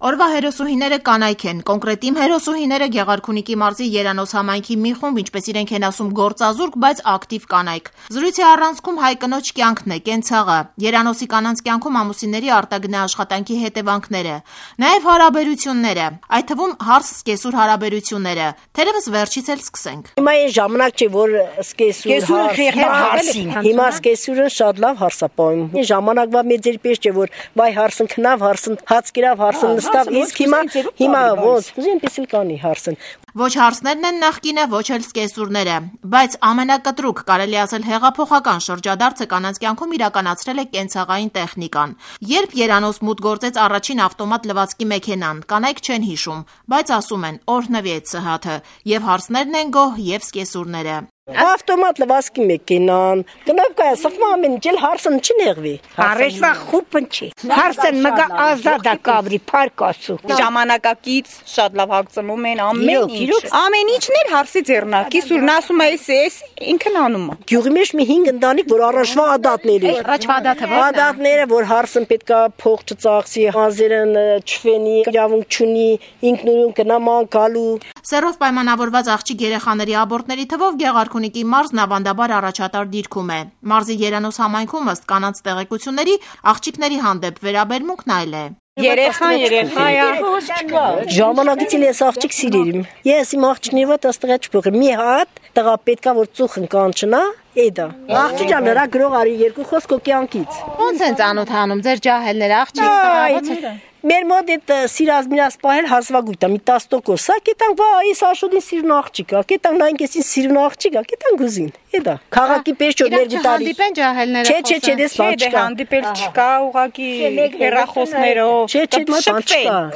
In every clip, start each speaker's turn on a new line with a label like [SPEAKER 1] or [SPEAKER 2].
[SPEAKER 1] Օրվա հերոսուհիները կանայք են, կոնկրետ իմ հերոսուհիները Գեղարքունիքի մարզի Երանոս համայնքի մի խումբ, ինչպես իրենք են ասում, գործազուրկ, բայց ակտիվ կանայք։ Զրույցի առանցքում հայ կնոջ կյանքն է, կենցաղը, Երանոսի կանանց կյանքում ամուսինների արտագնա աշխատանքի հետևանքները, նաև հարաբերությունները, այդ թվում հարս-սկեսուր հարաբերությունները։ Թերևս վերջից էլ սկսենք։
[SPEAKER 2] Հիմա այն ժամանակ չէ, որ հիմա սկեսուրը շատ լավ հարսապահում։ Ժամանակվա մեծեր պես չէ, որ վայ հարսն քնավ, հարսն հաց կերավ, հարսն նստավ, իսկ հիմա ոնց, այնպես էլ կանի հարսն։
[SPEAKER 1] Ոչ հարսներն են նախկինը, ոչ էլ սկեսուրները, բայց ամենակտրուկ, կարելի ասել հեղափոխական շրջադարձը կանանց կյանքում իրականացրել է կենցաղային տեխնիկան։ Երբ Երանոս մուտք գործեց առաջին ավտոմատ լվացքի մեքենան, կանայք չեն հիշում, բայց ասում են օրհնվի այդ սհաթը, եւ հարսներն են գոհ, եւ սկեսուրները։
[SPEAKER 2] Ավտոմատ լվացքի մեքենան, գնով կայ սխմա ամեն ջել հարսն չի նեղվի։
[SPEAKER 3] Արեշվա խուպն չի։ Հարսն մգա ազատա կաբրի փարկասու։
[SPEAKER 4] Ժամանակակից շատ լավ հագցնում են ամեն ինչ։ Ամեն ինչն էլ հարսի ձեռնակի, սուրն ասում է էս ինքն անում է։
[SPEAKER 2] Գյուղի մեջ մի 5 ընտանիք, որ առաջվա ադատներ էր։
[SPEAKER 1] Առաջվա ադատը ո՞րն է։
[SPEAKER 2] Ադատները, որ հարսն պետքա փող չծախսի, հազերն չվենի, իրավունք չունի, ինքնուրույն գնա ման գալու։
[SPEAKER 1] Սերով պայմանավորված աղջիկ երեխաների աբորտների թվով Գեղարքունիքի մարզն ավանդաբար առաջատար դիրքում է։ Մարզի Երանոս համայնքում ըստ կանանց տեղեկությունների աղջիկների հանդեպ վերաբերմունքն այլ է։
[SPEAKER 4] Երեխա է։
[SPEAKER 2] Ժամանակից էլ ես աղջիկ սիրել եմ։ Ես իմ աղջիկների հետ աստղա չփոխեմ։ Մի հատ տղա պետքա որ ծուխն կանչնա, էդա։ Աղջիկան նրա գրող արի երկու խոսք կյանքից։
[SPEAKER 1] Ոնց են ծանոթանում ձեր ջահելները աղջիկ տղա։
[SPEAKER 2] Մեր մոտ այդ սիրած միրած պահել հազվագույտ է, մի 10%, սա կետան վա, այս աշոդին սիրուն աղջիկ է, կետան նայնքեսին սիրուն աղջիկ է, կետան գուզին, էդա, քաղաքի պես չոր մեր գիտարի։
[SPEAKER 1] Հանդիպեն ջահելները խոսեն։
[SPEAKER 2] Չէ, դες բան չկա։
[SPEAKER 4] Հանդիպել չկա, ուղղակի հեռախոսներով։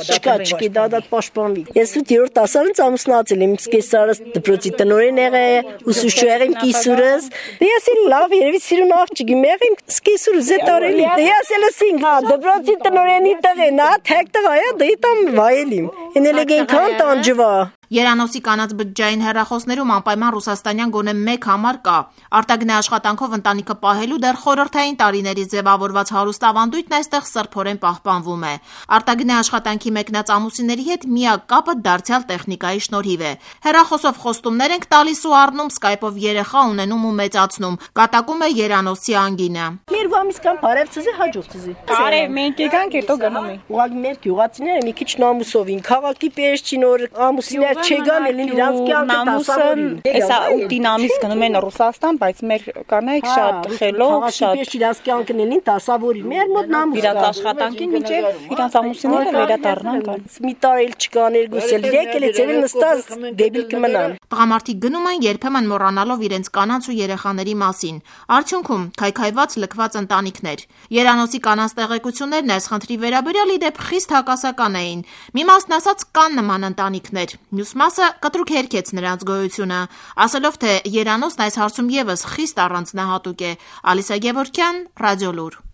[SPEAKER 2] Չկա, դա պաշտպանվի։ Ես 8-րդ դասարից ամուսնացել եմ, սկեսարս դպրոցի տնօրեն եղել, ուսուցիչ եղել կիսուրս։ Ես էլ լավ երևի սիրուն աղջիկ եմ եղել, սկեսուրը զետարելի։ Ես էլ ասինք, հա, դպրոցի տնօրենի տղեն, թեկտղա է, դիտամ վայելիմ, ինելեգեն կան տանջվա։
[SPEAKER 1] Երանոսի կանանց բջջային հեռախոսներում անպայման ռուսաստանյան գոնե մեկ համար կա։ Արտագնա աշխատանքով ընտանիքը պահելու դեռ խորհրդային տարիներից ձևավորված հարուստ ավանդույթն այստեղ սրբորեն պահպանվում է։ Արտագնա աշխատանքի մեկնած ամուսինների հետ միակ կապը դարձյալ տեխնիկայի շնորհիվ է։ Հեռախոսով խոստումներ ենք տալիս ու առնում, սկայպով երեխա ունենում ու մեծացնում։ Կատակում է Երանոսի անգինը։
[SPEAKER 2] Մեր բամիս կան բարև ցզի հաջող ցզի։
[SPEAKER 4] Արև մենք եկանք հետո գնում ենք։
[SPEAKER 2] Ուղղակի մեր գյուղացիները մի քիչ նամուսով են, քաղաքի պես չի նոր ամուսիններ չգան էլ իրանց կյանքը դասավորին։
[SPEAKER 4] Էսա 8 ամիս գնում են Ռուսաստան, բայց մեր կանայք շատ խելոք, շատ
[SPEAKER 2] պես իրանց կյանքն են դասավորի։ Մեր մոտ նամուս կա։
[SPEAKER 4] իրանց աշխատանքին միջև իրանց ամուսինները վերադառնան կան։
[SPEAKER 2] Մի տարի էլ չկա ներգուսել, եկել է ծևել նստած դեբիլ կմնան։
[SPEAKER 1] Տղամարդիկ գնում են երբեմն մոռանալով իրենց կանանց ու երեխաների մասին։ Արդյունքում քայքայված լքված ընտանիքներ։ Երանոսի կանանց տեղեկություններն այս խնդրի վերաբերյալ ի դեպ խիստ հակասական էին։ Մի մասն ասած կան նման ընտանիքներ, մյուս մասը կտրուկ հերքեց նրանց գոյությունը, ասելով թե Երանոսն այս հարցում եւս խիստ առանձնահատուկ է։ Ալիսա Գևորգյան, Ռադիոլուր։